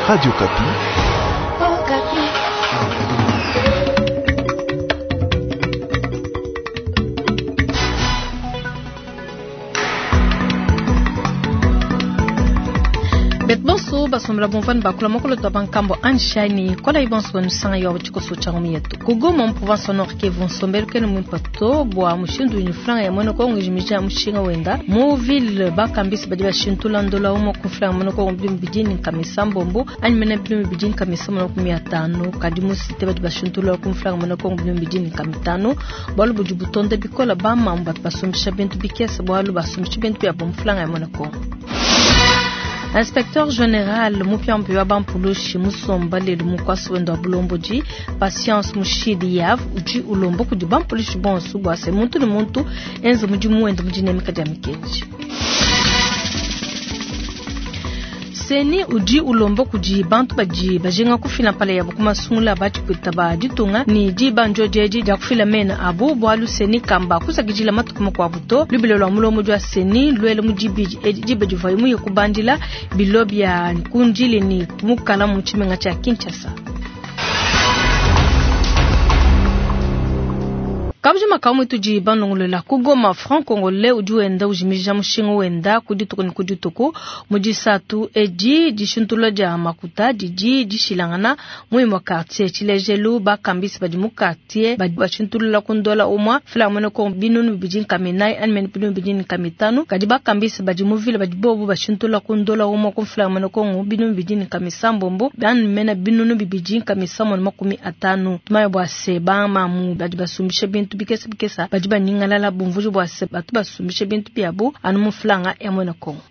Radio Okapi. Betu bonso basombela bumvua ne bakula mokolo twa bankambo anshani kolayi bonso banusanga yo tshikoso tshia ngumi yetu ku Goma mu province wa Nord Kivu. Nsombelu kene muimpe to bua mushindu udi franga ya muena Kongo ijimija mushinga wenda mu ville. Bakambisi badi bashintula ndola umue ku franga muena Kongo bidimu bidi ne nkama isambombo anyi mene bidimu bidi nkama isambombo na 50, kadi mu cité badi bashintula ku franga muena Kongo bidimu bidi ne nkama itanu. Bualu budi butonda bikola bamamu batu basumbisha bintu bikese bualu basumbisha bintu biabo mu franga ya muena Kongo. Inspecteur général mupiamupia wa bampulushi musomba lelu mukwasi wenda wa bulombodi Patience Mushidi Yav udi ulomba kudi bampulushi bonso bua se muntu ne muntu enze mudimu wenda mu dinemeka dia mikenji. CENI udi ulomba kudi bantu badi bajinga kufila mpala yabo ku masungula ba tshipwita ba ditunga ne diba ndiodi edi dia kufila mena abu, bualu CENI kamba kusakidila matuku makuabu to. Lubila lua mulombodi wa CENI luele mu dibidi edi diba divuaye muye kubandila bilo bia kundili ne mukala mu tshimenga tshia Kinshasa. Kabujima kamwe tudi banongolola ku Goma, franc congolais udi wenda ujimija mushinga wenda ku dituku ne ku dituku. Mu disatu edi dishintula dia makuta didi dishilangana mu imue quartier. Tshilejelu bakambisi badi mu quartier badi bashintulula ku ndola umue franc muena Kongo 2400 anyi mene 2500, kadi bakambisi badi mu ville badi bobu bashintula ku ndola umue ku franc muena Kongo 2600 anyi mene 2350. Tumanye bua se bamamu badi basumbisha bintu bikese bikese badi banyingalala bumvuji bua se batu basumbisha bintu biabu anu mu franga ya muena Kongo.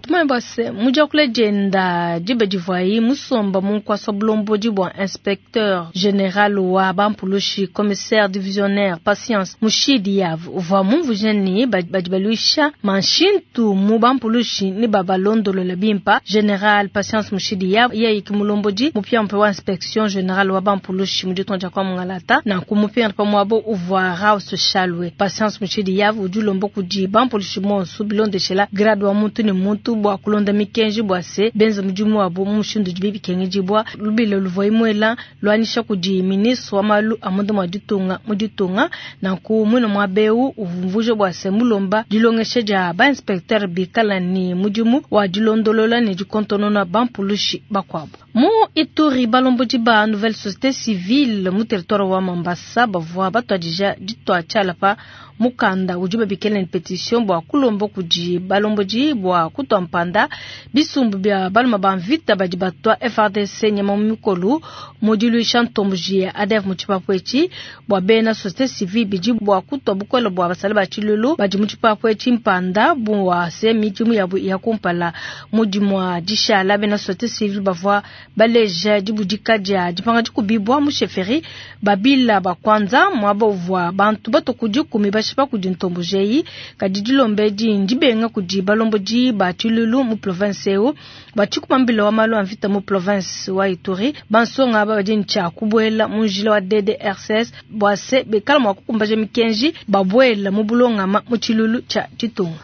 Tumanye bua se mu diakula dienda diba divuaye musomba mu nkuasa bulombodi bua inspecteur général wa bampulushi commissaire divisionnaire Patience Mushidi Yav uvua mumvuje ne badi baluisha manshintu mu bampulushi ne babalondolola bimpa. Général Patience Mushidi Yav yeye ki mulombodi mupiamupia wa inspection générale wa bampulushi mu ditunga dia kwa Mungalata nanku mupiamupia muabo uvua Raus Chalwe. Patience Mushidi Yav udi ulomba kudi bampulushi bonso bilondeshela grade wa muntu ne muntu bua kulonda mikenji bua se benze mudimu wabo mu mushindu udi bikengedibua. Lubila luvua imuela luanyisha kudi ministre wa malu a munda mua ditunga mu ditunga nanku muine muaba eu uvumvuje bua se mulomba dilongesha dia ba inspecteur bikala ne mudimu wa dilondolola ne dikontonona bampulushi bakuabu. Mu Ituri balombodi ba nouvelle société civile mu territoire wa Mambasa bavua batuadija ditua tshiala pa mukanda udi babikela ne pétition bua kulomba kudi balombodi bua kutua mpanda bisumbu bia baluma ba mvita badi batua FARDC nyama mu mikolu mu diluisha ntomboji ya ADF mu tshipapu etshi bua bena société civile bidi bua kutua bukole bua basala ba tshilulu badi mu tshipapu etshi mpanda bua se midimu yabu ya kumpala. Mu dimua dishala bena société civile bavua baleja dibudika dia dipanga dikubibwa mu chefferie babila bakwanza mwaba uvua bantu bato kudi kumi bashipa kudi ntomboji eyi, kadi dilomba edi ndibenga kudi balombodi ba tshilulu mu province eu. Batshikuma mbila wa malu a mvita mu province wa Ituri bansonga aba badi ntshia kubuela mu njila wa DDRCS bua se bekala mua kukumbaja mikenji babuela mu bulongama mu tshilulu tshia ditunga.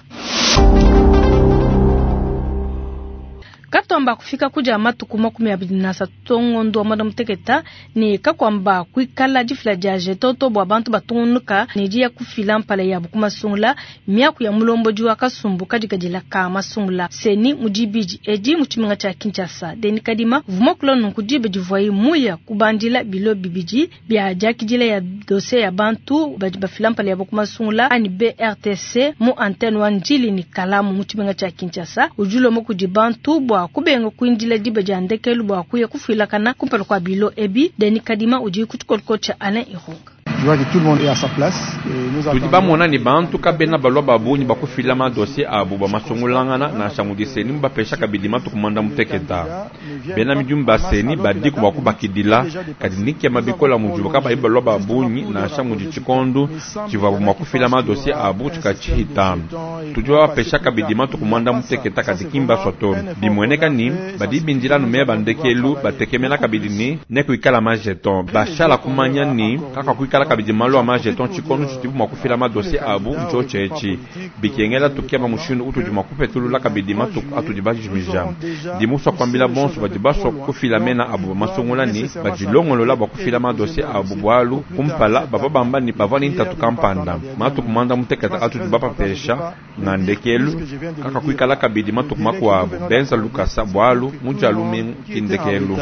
Katwamba kufika kudia matuku 23 ngondo wa mwanda muteketa ne kakwamba kuikala difila dia jetoto bua bantu batungunuka ne diya kufila mpala yabu ku masungula miaku ya mulombodi wa kasumbu kadikadila ka masungula CENI mu dibidi edi mu tshimenga tshia Kinshasa. Denis Kadima vuma kula nunku diba divuaye muya kubandila bilo bibidi bia diakidila ya dossier ya bantu badi bafila mpala yabu ku masungula anyi BRTC mu antenne wa Ndjili ne Kalamu mu tshimenga tshia Kinshasa. Udi ulomba kudi bantu bua kubenga kuindila diba dia ndekelu bua kuya kufuilakana kumpala kua bilo ebi. Denis Kadima udi ku tshikoloko tshia Alain Irunga. Je vois que tout le monde est à sa place. Et nous Tudi attendons bamona ni bantu kabena balwa babunyi bakufila ma dossier abu ba masungulangana na shamudi CENI mubapesha kabidi matuku mwanda muteketa. Bena midimu ba CENI badiku bua kubakidila kadi nikema bikola mujuba kabayi balwa babunyi na shamudi tshikondu tshivua mua kufila ma dossier abu tshikatshihita. Tudi babapesha kabidi matuku mwanda muteketa kadi kimba soto. Bimueneka ni badi bindila nume bandekelu batekemena kabidi ni nekuikala ma jeton. Bashala kumanya ni kaka kuikala kabidi malu a majeton tshikondo tshidibu mua kufila madosie abu ntshiotshi etshi. Bikengela tukeba mushindu utudi mua kupetulula kabidi matuku atudi bajimija. Ndi musua kuambila bonso badi basua kufila mena abu ba masungula ne badilongolola bua kufila madosie abu bualu kumpala bavua bamba ne bavua ne ntatu kampanda. Matuku muanda mutekete atudi bapapesha nga ndekelu kakakuikala kabidi matuku makuabu. Benza lukasa bualu mu dia lumingu ki ndekelu.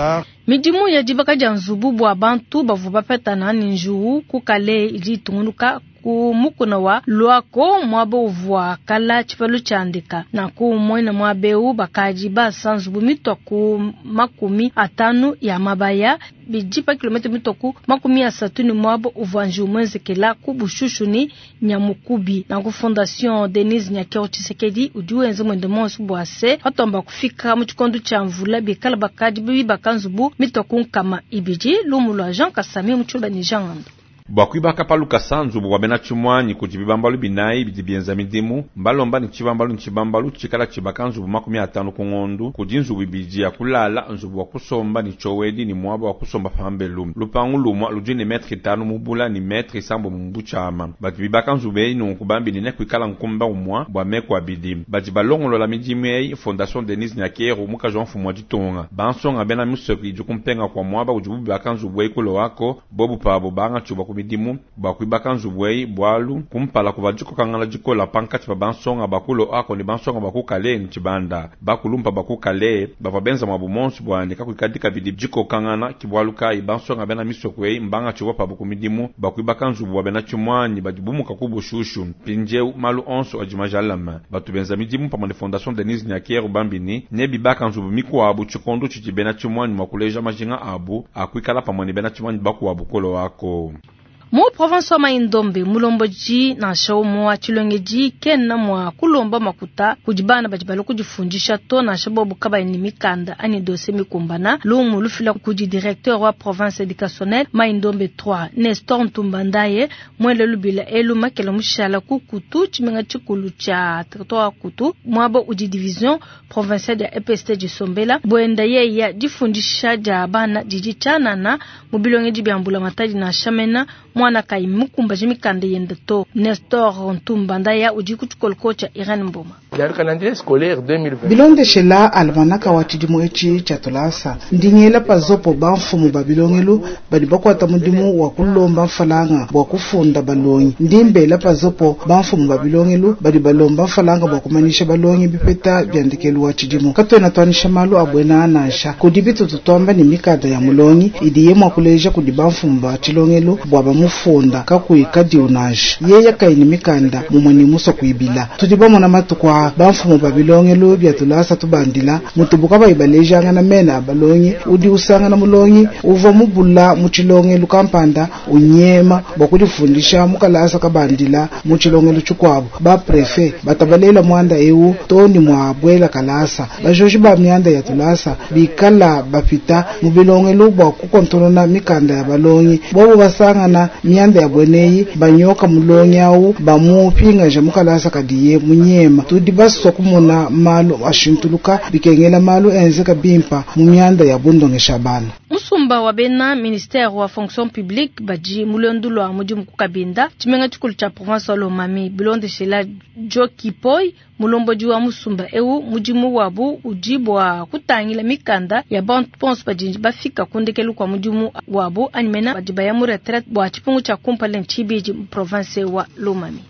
Midimu ya dibaka dia nzubu bua bantu bavua bapetana ne njiwu ku kale idi itungunuka ku mukuna wa Luako, muaba uvua kala tshipalu tshia ndeka. Nanku muena muaba eu bakadi basa nzubu mitua ku 50 ya mabaya, bidi pa kilomètre mitua ku 30 ne muaba uvua njiwu muenzekela ku Bushushu ne Nyamukubi. Nanku Fondation Denise Nyakeru Tshisekedi udi wenza muende monso bua se patuamba kufika mu tshikondo tshia mvula bikala bakadi bibaka nzubu mitua ku 200. Lumu lua Jean Kasami mu Tshiluba ne Jean Ngando. Bua kuibaka pa lukasa nzubu wa bena tshimuanyi kudi bibambalu binayi bidi bienza midimu, mbalomba ne tshibambalu ne tshibambalu tshikala tshibaka nzubu 50 ku ngondu. Kudi nzubu ibidi ya kulala, nzubu wa kusomba ne tshiowedi ne muaba wa kusomba pambelu. Lupangu lumua ludi ne metre 5 mu bula ne metre 7 mu butshiama. Badi bibaka nzubu eyi nunku bambi ne kuikala nkumba umua bua meku abidi. Badi balongolola midimu eyi Fondation Denise Nyakeru, mukaji wa mfumu wa ditunga. Bansonga bena misoko idi kumpenga kua muaba udibu bibaka nzubu eyi ku Loako, bobu pabu bangatshibua ku midimu bua kuibaka nzubu eyi, bualu kumpala kuvua dikokangana dikola pankatshi pa bansonga ba ku Loako ne bansonga ba ku Kale ne Tshibanda. Bakulumpa ba ku Kale bavua benza muabu monso bua ne kakuikadi kabidi dikokangana, ki bualu kayi bansonga bena misoko eyi mbangatshibua pabu ku midimu bua kuibaka nzubu wa bena tshimuanyi badi bumuka ku Bushushu. Mpindieu malu onso adi majalame. Batu benza midimu pamue ne Fondation Denise Nyakeru bambi ne nebibaka nzubu mikuabu tshikondo tshidi bena tshimuanyi mua kuleja majinga abu a kuikala pamue ne bena tshimuanyi bakuabu ku Loako. Mu province wa Mai-Ndombe, mulombodi nansha umue wa tshilongedi kena mua kulomba makuta kudi bana badi balua kudifundisha to, nansha bobu kabayi ne mikanda anyi dossier mikumbana. Lumu lufila kudi directeur wa province éducationnelle Mai-Ndombe 3 Nestor Ntumba Ndaye muele lubila elu makela mushala ku Kutu, tshimenga tshikulu tshia territoire wa Kutu, muaba udi division provinciale ya EPST disombela. Buenda yeya difundisha dia bana didi tshianana mu bilongedi bia mbula matadi nansha mena mwana kayi mukumbaje mikanda yende to. Nestor Ntumba Ndaya udi ku tshikoloko tshia Irene Mboma. Bilondeshela almanaka wa tshidimu etshi tshia tulasa ndingela pazopo bamfumu ba bilongelu badi bakuata mudimu wa kulomba mfalanga bua kufunda balongi. Ndimbela pazopo bamfumu ba bilongelu badi balomba mfalanga bua kumanyisha balongi bipeta bia ndekelu wa tshidimu. Katuena tuanyisha malu a buena nansha kudi bitutu tuamba ne mikanda ya mulongi idiye mua kuleja kudi bamfumu ba tshilongelu bua bamufunda kakuyi kadiu nansha yeye kayi ne mikanda mumue ne musua kuibila. Tudi bamona matuku a bamfumu ba bilongelu bia tulasa tubandila mutubu kabayi balejangana mena a balongi. Udi usangana mulongi uvua mubula mu tshilongelu kampanda unyema bua kudifundisha mu kalasa kabandila mu tshilongelu tshikuabu. Ba prefet batabalela muanda eu to ne mua buela kalasa. Bajoji ba mianda ya tulasa bikala bapita mu bilongelu bua kukontonona mikanda ya balongi. Bobo basangana mianda ya bueneyi banyoka mulongi au bamupingaja mu kalasa kadiye munyema. Tudi basua kumona malu ashintuluka bikengela malu enzeka bimpa mu mianda ya bundongesha bana. Musumba wa bena ministère wa fonction publique badi mulendu lwa mudimu ku Kabinda tshimenga tshikulu tshia province wa Lomami. Bilondeshela Joki Poi mulombodi wa musumba eu mudimu wabu udi bua kutangila mikanda ya bantu bonso badi bafika ku ndekelu kwa mudimu wabu anyi mena badi baya mu retraite bua tshipungu tshia kumpala ne tshibidi mu province wa Lomami.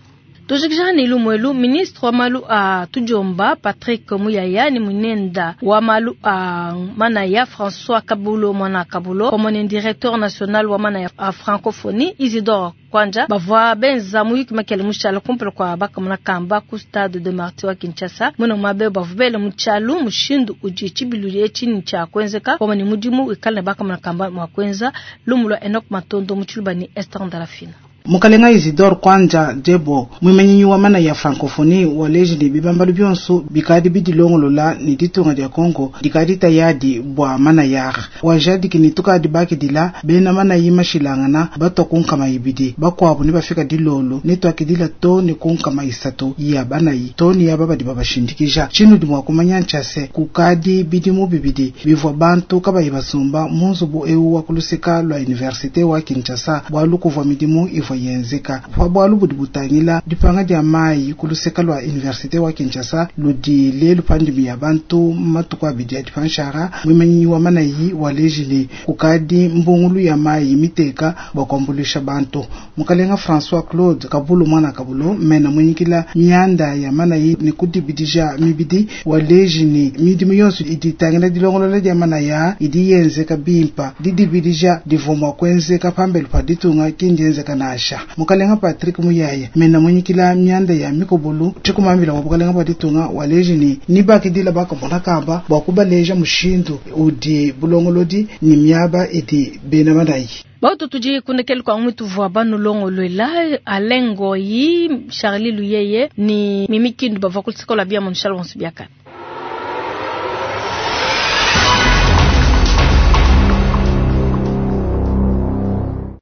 Tujikija ne lumuelu, ministre wa malu a tudiomba Patrick Muyaya ne munenda wa malu a manaya François Kabulo Mwana Kabulo pamue ne directeur national wa manaya a francophonie Isidore Kwanja bavua benza muyuki makele mushala kumpala kua bakamona kamba ku stade de Martyrs wa Kinshasa. Mwena mabe bavua bele mu tshialu mushindu udi tshibilu etshi ne tshia kuenzeka pamue ne mudimu wikala ne bakamona kamba mua kuenza. Lumu lua Enoch Matondo mu Tshiluba ne Esther Ndalafina. Mukalenga Isidore Kwanja Djebo, muimanyinyi wa manaya ya Francophonie waleji ne bibambalu bionso bikadi bidilongolola ne ditunga dia Congo dikadi tayadi bua manaya. Wajadiki ne tukadi bakidila bena manayi mashilangana batwa ku nkama ibidi bakuabu ne bafika dilolo ne tuakidila to ne ku nkama isatu ya banayi to ne yaba badi babashindikija. Tshinudi mua kumanya ntshia se kukadi bidimu bibidi bivua bantu kabayi basumba mu nzubu eu wa kuluseka lua universite wa Kinshasa bualu kuvua midimu ivua yenzeka. Pa bualu budi butangila dipanga dia mayi kuluseka lua universite wa Kinshasa ludi lelu pa ndimi ya bantu matuku abidi adi panshara muimanyinyi wa manayi waleji ne kukadi mbungulu ya mayi miteka bua kuambuluisha bantu. Mukalenga François Claude Kabulu mwana Kabulo mena munyikila mianda ya manayi ne kudibidija mibidi waleji ne midimu yonso idi itangila dilongolola dia manaya idi yenzeka bimpa didibidija divua mua kuenzeka pambelu pa ditunga kindienzeka nansha. Mukalenga Patrick Muyaya mena munyikila mianda ya mikobolu tshikumambila wa bukalenga bua ditunga waleji ne nibakidila bakamona kamba bua kubaleja mushindu udi bulongolodi ne miaba idi bena manayi. Bautu tudi kunekele kwa mwitu vwa banu longolwela Alain Ngoyi, Charlie Luyeye ni Mimi Kindu bavua kuluseka lua bia Monchal Wansu Biaka.